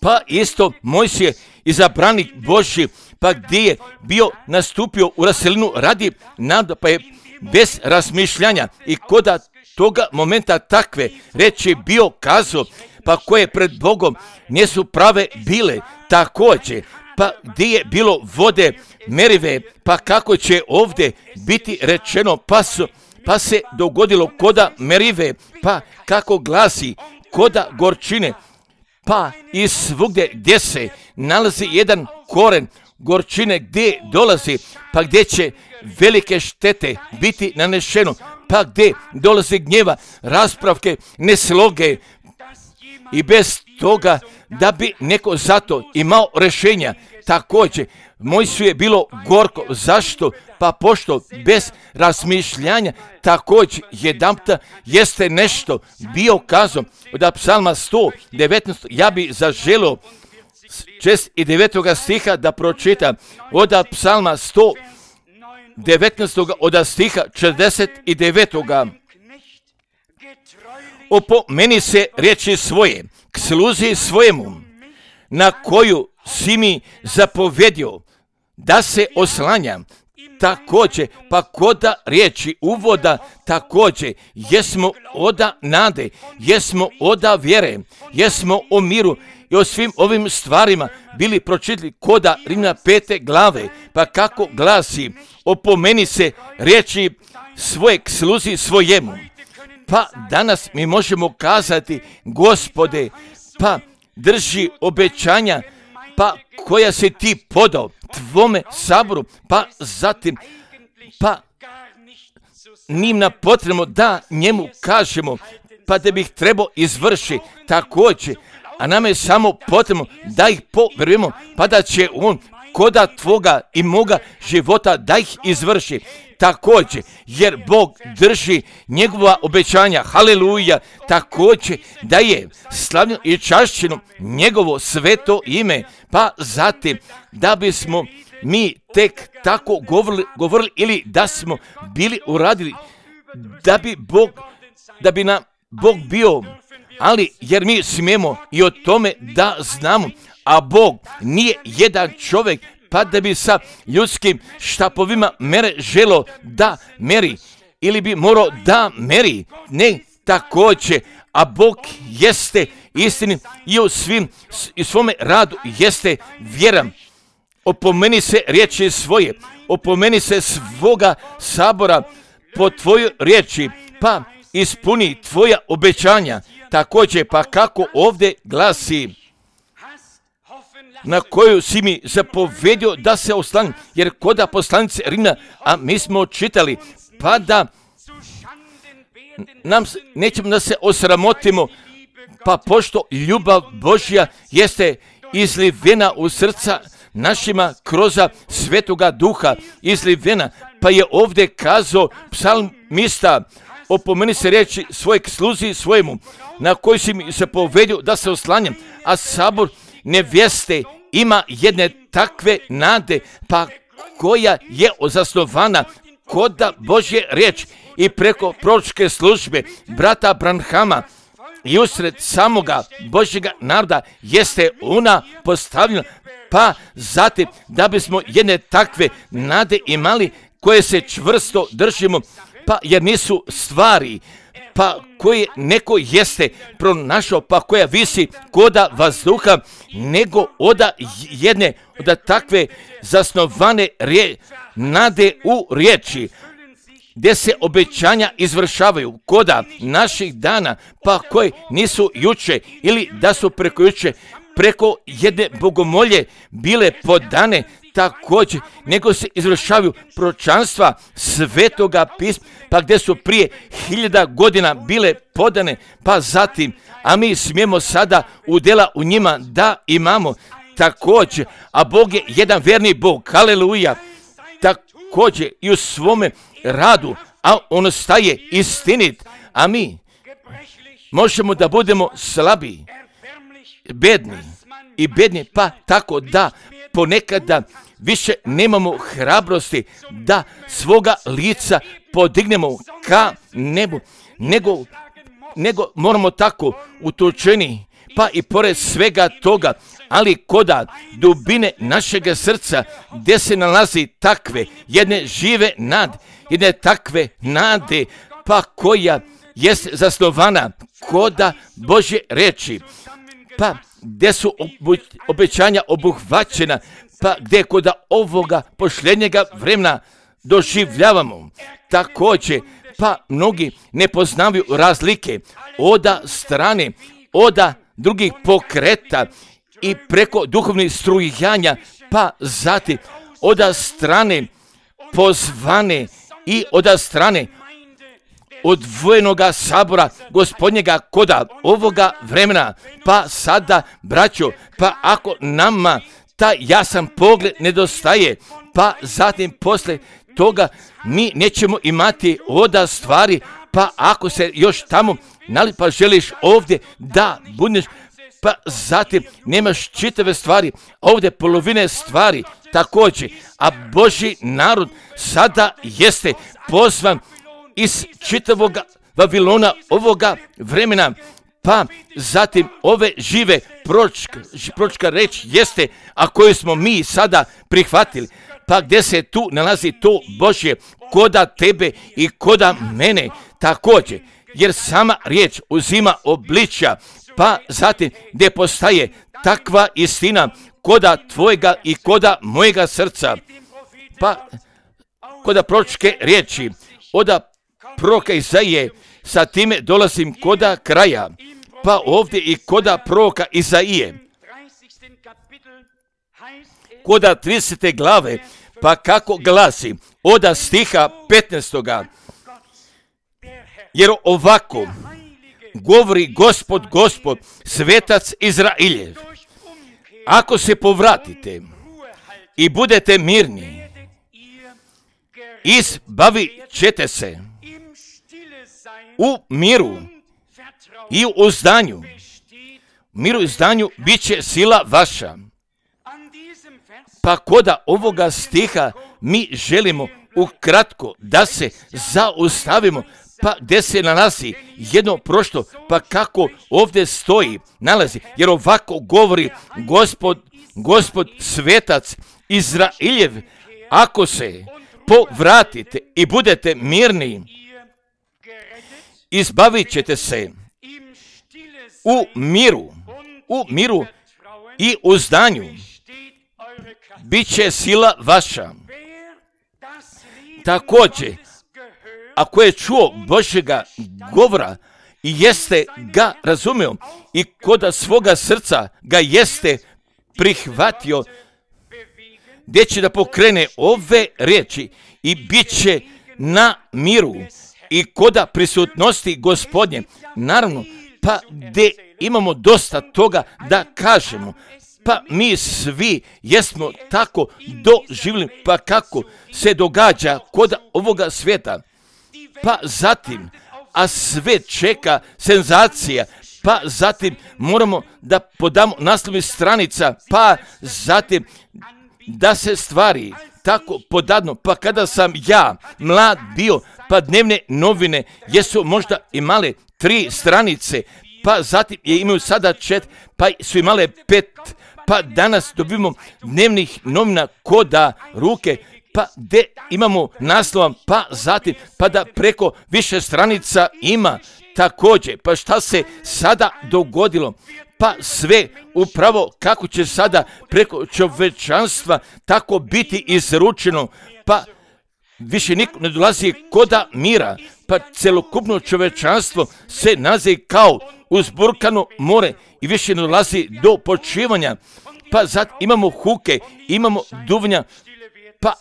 Pa isto Mojsije izabranik Božji, pa gdje je bio nastupio u raselinu radi naroda, pa je bez razmišljanja i koda toga momenta takve reči bio kazao, pa koje pred Bogom nisu prave bile, također, pa gdje je bilo vode Merive, pa kako će ovdje biti rečeno, pa, su, pa se dogodilo koda Merive, pa kako glasi koda gorčine, pa i svugdje gdje se nalazi jedan koren gorčine gdje dolazi, pa gdje će velike štete biti nanešeno, pa gdje dolazi gnjeva, raspravke, nesloge i bez toga da bi neko zato imao rješenja. Također, Mojsiju je bilo gorko. Zašto? Pa pošto bez razmišljanja također jedanputa jeste nešto bio kazom od psalma sto devetnaest. Ja bi zaželio šest i devetoga stiha da pročitam od psalma sto devetnaest od stiha četrdeset devetoga. Opomeni se riječi svoje, k sluzi svojemu, na koju si mi zapovjedio da se oslanjam, također, pa koda riječi uvoda također, jesmo oda nade, jesmo oda vjere, jesmo o miru i o svim ovim stvarima bili pročitali koda Rimljana pete glave, pa kako glasi, opomeni se riječi svojeg sluzi svojemu. Pa danas mi možemo kazati, Gospode, pa drži obećanja, pa koja si ti podao tvome saboru, pa zatim, pa nim na potrebno da njemu kažemo, pa da bih trebao izvrši također, a nam je samo potrebno da ih povjerujemo, pa da će on koda tvoga i moga života da ih izvrši također, jer Bog drži njegova obećanja, haleluja, također da je slavljeno i čašćeno njegovo sveto ime, pa zatim da bismo mi tek tako govorili, govorili ili da smo bili uradili, da bi Bog, da bi nam Bog bio, ali jer mi smijemo i o tome da znamo, a Bog nije jedan čovjek, pa da bi sa ljudskim štapovima mere želo da meri, ili bi morao da meri, ne također, a Bog jeste istini i u svim i svome radu jeste vjeran. Opomeni se riječi svoje, opomeni se svoga sabora po tvojoj riječi, pa ispuni tvoja obećanja. Također, pa kako ovdje glasi, na koju si mi zapovedio da se oslanim, jer koda poslanice Rimljana, a mi smo čitali, pa da nam nećemo da se osramotimo, pa pošto ljubav Božja jeste izlivena u srca našima kroz Svetoga Duha, izlivena, pa je ovdje kazao psalmista, opomeni se riječi svojeg sluzi svojemu, na koji si mi zapovedio da se oslanjam, a sabor nevjeste ima jedne takve nade, pa koja je zasnovana koda Božje riječ i preko proročke službe brata Branhama i usred samoga Božjega naroda jeste ona postavljena, pa zatim da bismo jedne takve nade imali koje se čvrsto držimo, pa jer nisu stvari pa koje neko jeste pronašao, pa koja visi koda vazduha, nego oda jedne, oda takve zasnovane rije, nade u riječi, gdje se obećanja izvršavaju koda naših dana, pa koje nisu juče ili da su preko juče, preko jedne bogomolje bile podane, također, nego se izvršavaju proročanstva Svetoga pisma, pa gdje su prije hiljada godina bile podane, pa zatim, a mi smijemo sada udjela u njima da imamo također, a Bog je jedan verni Bog, haleluja, također i u svome radu, a on staje istinit, a mi možemo da budemo slabi, bedni i bedni, pa tako da ponekada više nemamo hrabrosti da svoga lica podignemo ka nebu, nego, nego moramo tako utučeni, pa i pored svega toga, ali koda dubine našega srca, gdje se nalazi takve jedne žive nade, jedne takve nade, pa koja jest zasnovana koda Božje reči, pa gdje su obećanja obuhvaćena, pa gdje koda ovoga posljednjega vremena doživljavamo. Također, pa mnogi ne poznaju razlike oda strane, oda drugih pokreta i preko duhovnih strujanja, pa zatim oda strane pozvane i oda strane odvojenoga sabora Gospodnjega koda ovoga vremena, pa sada, braćo, pa ako nama ta jasan pogled nedostaje, pa zatim posle toga mi nećemo imati oda stvari, pa ako se još tamo nali pa želiš ovdje da budeš, pa zatim nemaš čitave stvari, ovdje polovine stvari također, a Božji narod sada jeste pozvan iz čitavog Vavilona ovoga vremena, pa zatim ove žive pročka, pročka reč jeste, a koju smo mi sada prihvatili, pa gdje se tu nalazi to Božje koda tebe i koda mene također, jer sama riječ uzima obličja, pa zatim gdje postaje takva istina koda tvojega i koda mojega srca, pa koda proročke riječi, oda proroka Izaije, sa time dolazim koda kraja, pa ovdje i koda proroka Izaije, koda tridesete glave, pa kako glasi, oda stiha petnaestoga. Jer ovako govori Gospod, Gospod, svetac Izrailjev, ako se povratite i budete mirni, izbavit ćete se u miru i u uzdanju. Miru i uzdanju bit će sila vaša. Pa koda ovoga stiha mi želimo ukratko da se zaustavimo, pa gdje se nalazi jedno prošto, pa kako ovdje stoji, nalazi, jer ovako govori Gospod, Gospod svetac Izrailjev, ako se povratite i budete mirni, izbavit ćete se u miru, u miru i uzdanju, bit će sila vaša. Također, ako je čuo Božjega govora i jeste ga razumio i koda svoga srca ga jeste prihvatio, gdje će da pokrene ove riječi i bit će na miru i koda prisutnosti Gospodnje, naravno, pa gdje imamo dosta toga da kažemo, pa mi svi jesmo tako doživjeli, pa kako se događa kod ovoga svijeta, pa zatim, a sve čeka senzacija, pa zatim moramo da podamo naslovnih stranica, pa zatim da se stvari tako podadno, pa kada sam ja mlad bio, pa dnevne novine jesu možda imale tri stranice, pa zatim je imaju sada čet, pa su imale pet, pa danas dobimo dnevnih novina koda ruke, pa gdje imamo naslova, pa zatim, pa da preko više stranica ima također. Pa šta se sada dogodilo? Pa sve upravo kako će sada preko čovečanstva tako biti izručeno, pa više niko ne dolazi koda mira, pa celokupno čovečanstvo se nalazi kao uzburkano more i više ne dolazi do počivanja, pa zato imamo huke, imamo duvnja, pa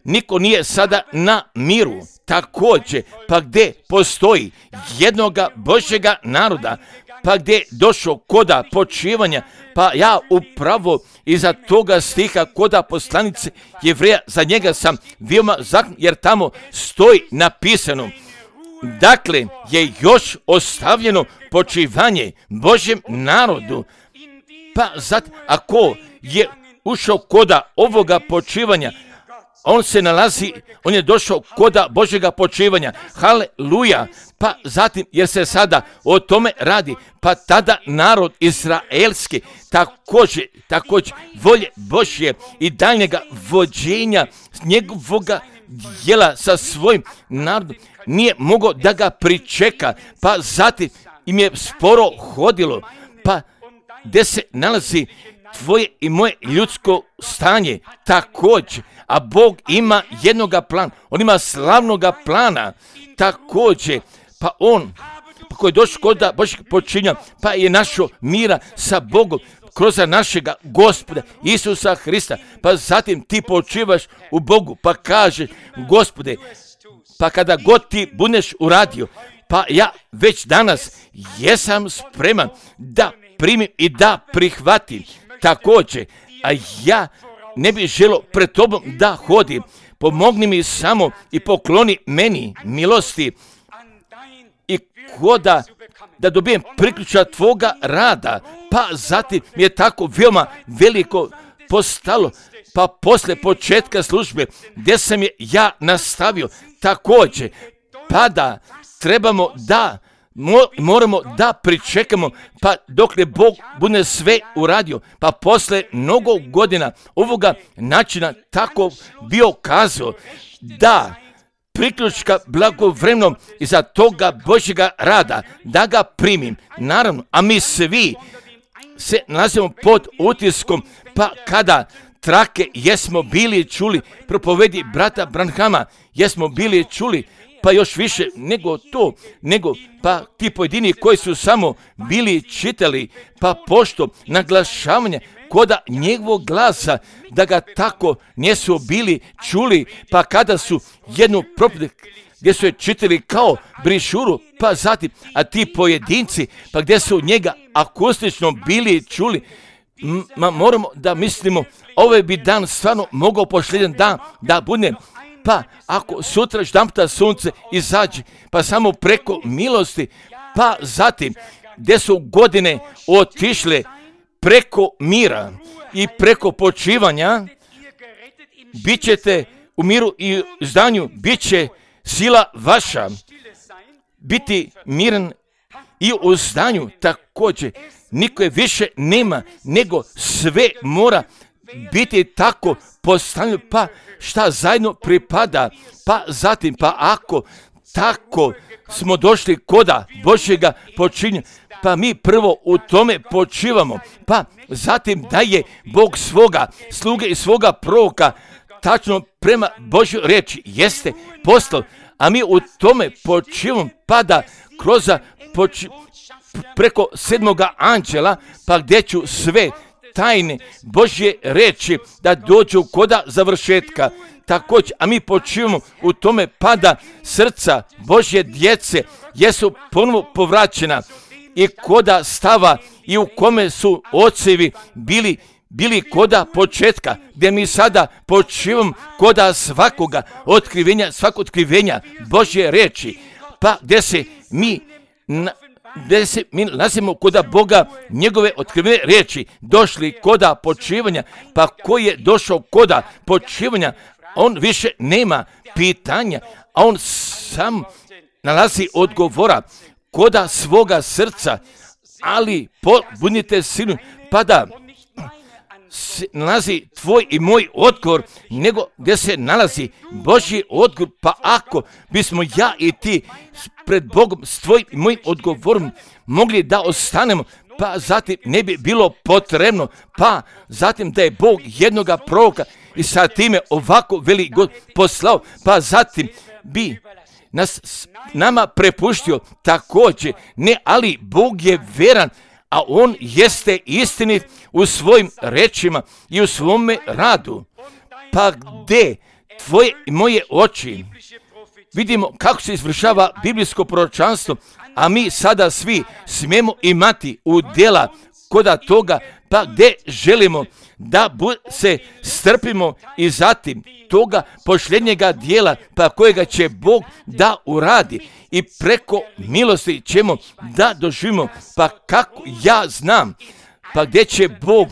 niko nije sada na miru. Također, pa gdje postoji jednoga Božjega naroda, pa gdje je došao koda počivanja, pa ja upravo iza toga stiha koda poslanice Jevreja, za njega sam veoma zakon, jer tamo stoji napisano, dakle je još ostavljeno počivanje Božjem narodu, pa zato ako je ušao koda ovoga počivanja, on se nalazi, on je došao koda Božjega počivanja, haleluja, pa zatim, jer se sada o tome radi, pa tada narod izraelski također, također volje Božje i daljnjega vođenja njegovoga djela sa svojim narodom nije mogao da ga pričeka, pa zatim im je sporo hodilo, pa gdje se nalazi tvoje i moje ljudsko stanje također, a Bog ima jednoga plana, on ima slavnoga plana također, pa on, pa koji je došao kod Božjeg počinja, pa je našao mira sa Bogom kroz našega Gospoda Isusa Hrista, pa zatim ti počivaš u Bogu, pa kažeš, Gospode, pa kada god ti budeš uradio, pa ja već danas jesam spreman da primim i da prihvatim također, a ja ne bih želio pred tobom da hodim, pomogni mi samo i pokloni meni milosti i koda da dobijem priključak tvoga rada, pa zatim mi je tako veoma veliko postalo, pa posle početka službe gdje sam je ja nastavio također, pa da trebamo da moramo da pričekamo pa dokle Bog bude sve uradio, pa posle mnogo godina ovoga načina tako bio kazao da priključka blagovremeno iza toga Božjega rada, da ga primim. Naravno, a mi svi se nalazimo pod utiskom, pa kada trake jesmo bili čuli, propovedi brata Branhama, jesmo bili čuli, pa još više nego to, nego pa ti pojedini koji su samo bili čitali, pa pošto naglašavanje koda njegovog glasa, da ga tako nisu bili čuli, pa kada su jednu propoved gdje su je čitali kao brišuru, pa zatim, a ti pojedinci, pa gdje su njega akustično bili čuli, ma moramo da mislimo, ovaj bi dan stvarno mogao posljedan dan da bude, pa ako sutra ždampta sunce izađe, pa samo preko milosti, pa zatim gdje su godine otišle preko mira i preko počivanja, bit ćete u miru i zdanju, bit će sila vaša, biti miran i u zdanju također. Niko je više nema, nego sve mora biti tako postavljeno, pa šta zajedno pripada, pa zatim, pa ako tako smo došli koda Božjega počinja, pa mi prvo u tome počivamo, pa zatim da je Bog svoga sluge i svoga proroka tačno prema Božjoj reči jeste poslao, a mi u tome počivamo, pa da kroz poči, preko sedmoga anđela, pa gdje ću sve tajne Božje reči da dođu koda završetka. Također, a mi počivamo u tome, pa da srca Božje djece jesu ponovo povraćena i koda stava i u kome su ocevi bili bili koda početka, gdje mi sada počivamo koda svakoga otkrivenja, svako otkrivenja Božje reči, pa gdje se mi na, gdje se mi nalazimo koda Boga, njegove otkrivene riječi, došli koda počivanja, pa koji je došao koda počivanja, on više nema pitanja, a on sam nalazi odgovora koda svoga srca, ali budite silni, pa da se nalazi tvoj i moj odgovor, nego gdje se nalazi Božji odgovor, pa ako bismo ja i ti pred Bogom s tvojim i mojim odgovorom mogli da ostanemo, pa zatim ne bi bilo potrebno, pa zatim da je Bog jednoga proroka i sa time ovako veli God poslao, pa zatim bi nas nama prepuštio također, ne, ali Bog je veran, a on jeste istinit u svojim rečima i u svome radu. Pa gdje tvoje i moje oči vidimo kako se izvršava biblijsko proročanstvo, a mi sada svi smijemo imati udjela koda toga, pa gdje želimo da se strpimo i zatim toga posljednjega dijela, pa kojega će Bog da uradi i preko milosti ćemo da doživimo, pa kako ja znam, pa gdje će Bog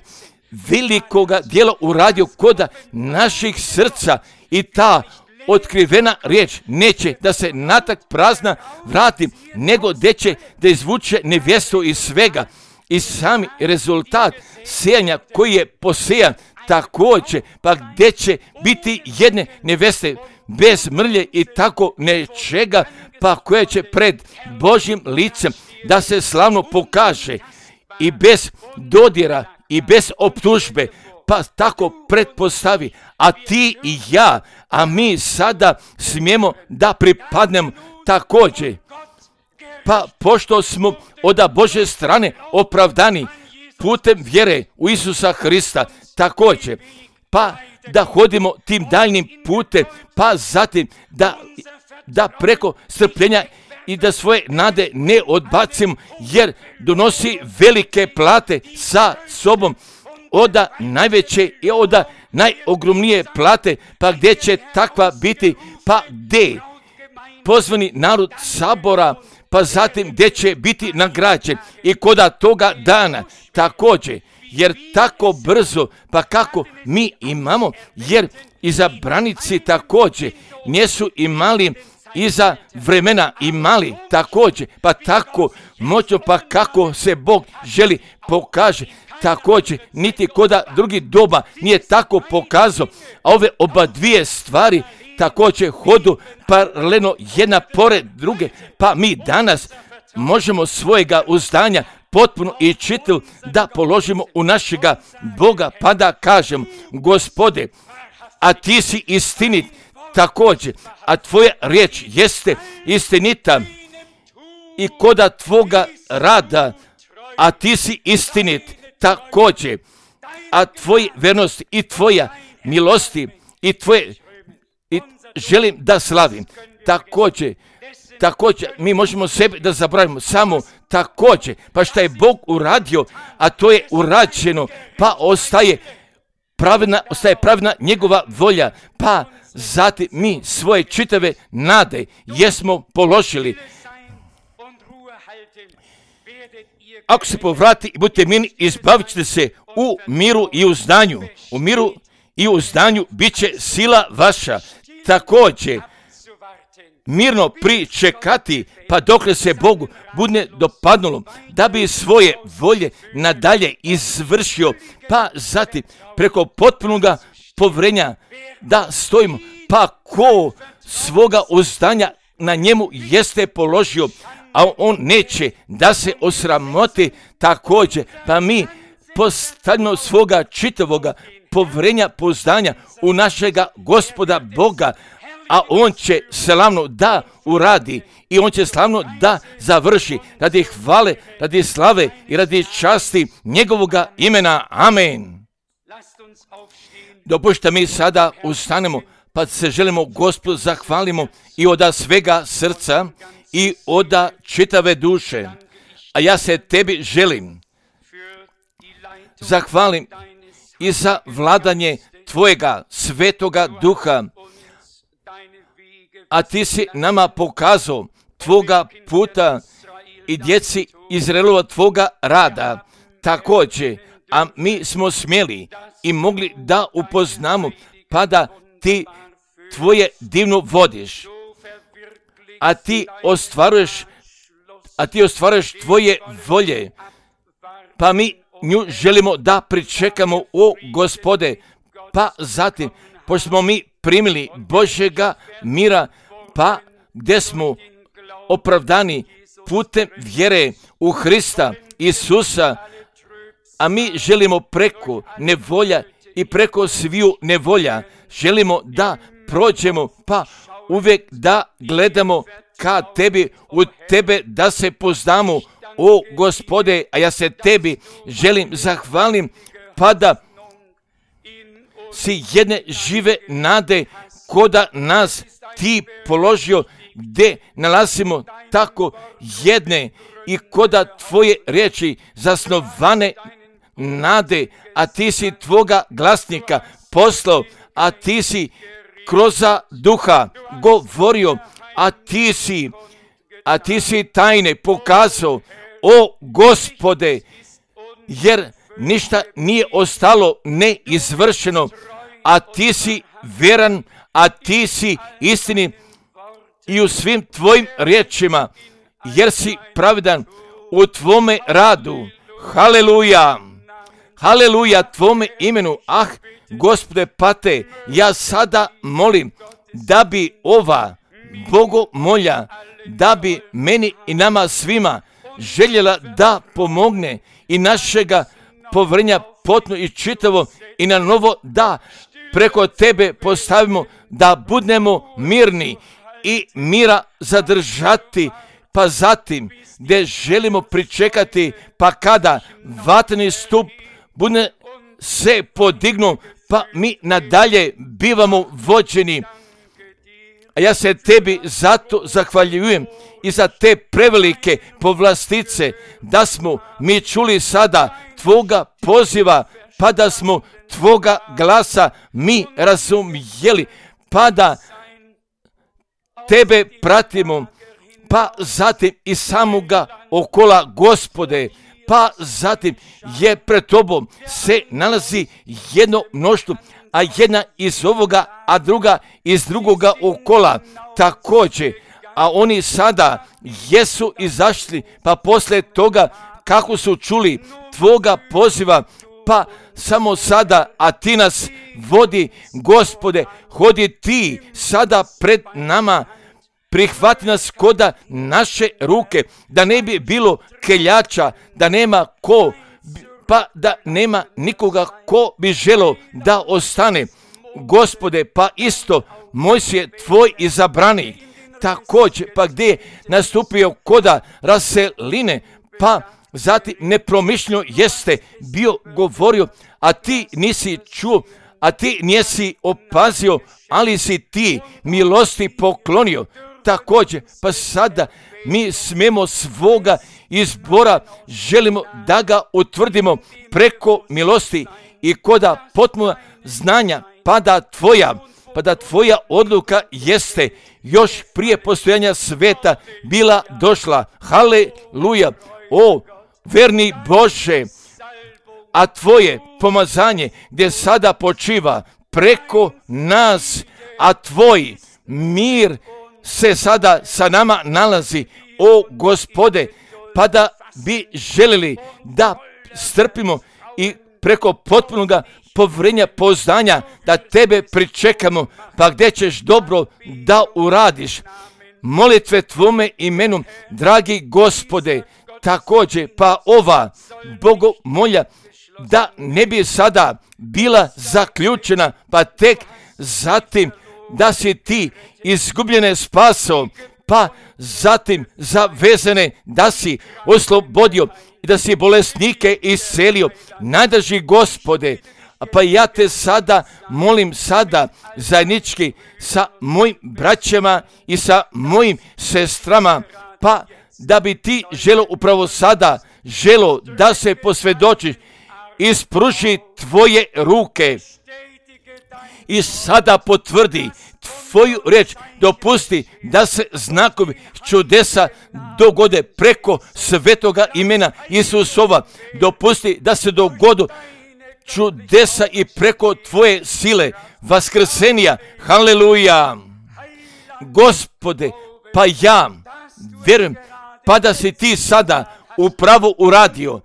velikoga dijela uradio koda naših srca i ta otkrivena riječ neće da se natak prazna vrati, nego gdje će da izvuče nevjestu iz svega i sami rezultat sejanja koji je posejan također, pa gdje će biti jedne neveste bez mrlje i tako nečega, pa koje će pred Božjim licem da se slavno pokaže i bez dodira i bez optužbe, pa tako pretpostavi, a ti i ja, a mi sada smijemo da pripadnemo također. Pa pošto smo od Božje strane opravdani putem vjere u Isusa Hrista također, pa da hodimo tim daljnim putem, pa zatim da, da preko strpljenja i da svoje nade ne odbacimo, jer donosi velike plate sa sobom, oda najveće i oda najogromnije plate, pa gdje će takva biti, pa gdje pozvani narod sabora, pa zatim gdje će biti nagrađen i koda toga dana također, jer tako brzo, pa kako mi imamo, jer izabranici također nisu imali i za vremena imali također, pa tako moćno, pa kako se Bog želi pokaže. Također, niti koda drugi doba nije tako pokazao, a ove oba dvije stvari također hodu paralelno jedna pored druge, pa mi danas možemo svojega uzdanja potpuno i čitav da položimo u našega Boga, pa da kažem, Gospode, a ti si istinit također, a tvoja riječ jeste istinita i koda tvoga rada, a ti si istinit također, a tvoja vernost i tvoja milosti i tvoje, i želim da slavim također. Također, mi možemo sebe da zabravimo samo također, pa šta je Bog uradio, a to je urađeno, pa ostaje pravilna, ostaje pravilna njegova volja, pa zatim mi svoje čitave nade jesmo položili. Ako se povrati i budete mirni, izbavit ćete se u miru i uzdanju. U miru i uzdanju bit će sila vaša. Također, mirno pričekati, pa dokle se Bogu bude dopadnulo, da bi svoje volje nadalje izvršio, pa zatim preko potpunoga povrenja da stojimo, pa ko svoga uzdanja na njemu jeste položio, a on neće da se osramoti također, pa mi postavimo svoga čitavoga povrenja poznanja u našega Gospoda Boga, a on će slavno da uradi i on će slavno da završi radi hvale, radi slave i radi časti njegovoga imena. Amen. Dopušta mi sada ustanemo, pa se želimo Gospodu zahvalimo i oda svega srca i oda čitave duše. A ja se tebi želim zahvalim i za vladanje tvojega svetoga duha, a ti si nama pokazao tvoga puta i djeci Izraelova tvoga rada također, a mi smo smjeli i mogli da upoznamo, pa da ti tvoje divno vodiš, a ti ostvaruješ, a ti ostvaruješ tvoje volje, pa mi nju želimo da pričekamo, o Gospode, pa zatim, pošto smo mi primili Božjega mira, pa gdje smo opravdani putem vjere u Hrista Isusa, a mi želimo preko nevolja i preko sviju nevolja, želimo da prođemo, pa uvijek da gledamo ka tebi, u tebe da se poznamo, o Gospode, a ja se tebi želim zahvalim, pa da si jedne žive nade koda nas ti položio, gdje nalazimo tako jedne i koda tvoje riječi zasnovane nade, a ti si tvoga glasnika poslao, a ti si kroz duha govorio, a ti si, a ti si tajne pokazao, o Gospode, jer ništa nije ostalo neizvršeno, a ti si vjeran, a ti si istini i u svim tvojim riječima, jer si pravedan u tvome radu. Haleluja, haleluja tvome imenu. Ah, Gospode, pate, ja sada molim da bi ova bogomolja, da bi meni i nama svima željela da pomogne i našega povrenja potno i čitavo i na novo da preko tebe postavimo, da budemo mirni i mira zadržati, pa zatim gdje želimo pričekati, pa kada vatreni stup bude se podignu, pa mi nadalje bivamo vođeni. A ja se tebi zato zahvaljujem i za te prevelike povlastice, da smo mi čuli sada tvoga poziva, pa da smo tvoga glasa mi razumjeli, pa da tebe pratimo, pa zatim i samoga okola, Gospode, pa zatim je pred tobom se nalazi jedno mnoštvo, a jedna iz ovoga, a druga iz drugoga okola također. A oni sada jesu izašli, pa poslije toga kako su čuli tvoga poziva, pa samo sada, a ti nas vodi, Gospode, hodi ti sada pred nama, prihvati nas koda naše ruke, da ne bi bilo keljača, da nema ko, pa da nema nikoga ko bi želo da ostane. Gospode, pa isto Mojsije tvoj izabrani, također, pa gdje je nastupio koda raseline, pa zatim nepromišljeno jeste bio govorio, a ti nisi čuo, a ti nisi opazio, ali si ti milosti poklonio. Također, pa sada mi smemo svoga izbora, želimo da ga utvrdimo preko milosti i koda potpuna znanja, pa da tvoja, pa da tvoja odluka jeste još prije postojanja sveta bila došla. Haleluja! O, verni Bože, a tvoje pomazanje gdje sada počiva preko nas, a tvoj mir se sada sa nama nalazi, o Gospode, pa da bi želili da strpimo i preko potpunoga povjerenja, poznanja, da tebe pričekamo, pa gdje ćeš dobro da uradiš. Molitve tvome imenu, dragi Gospode, također, pa ova bogomolja da ne bi sada bila zaključena, pa tek zatim da si ti izgubljene spasao, pa zatim zavezane da si oslobodio i da si bolesnike iscelio. Najdrži Gospode, pa ja te sada molim sada zajednički sa mojim braćama i sa mojim sestrama, pa da bi ti želo upravo sada, želo da se posvjedočiš, ispruži tvoje ruke i sada potvrdi tvoju riječ, dopusti da se znakovi čudesa dogode preko svetoga imena Isusova, dopusti da se dogodu čudesa i preko tvoje sile vaskrsenja. Haleluja! Gospode, pa ja vjerujem, pa da si ti sada upravo uradio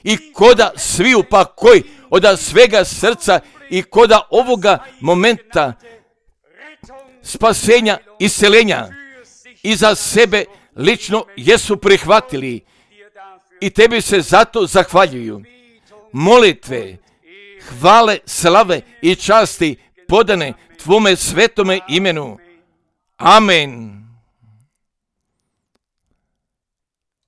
i koda sviju, pa koji od svega srca i koda ovoga momenta spasenja, isceljenja i za sebe lično jesu prihvatili i tebi se zato zahvaljuju. Molitve, hvale, slave i časti podane tvome svetome imenu. Amen.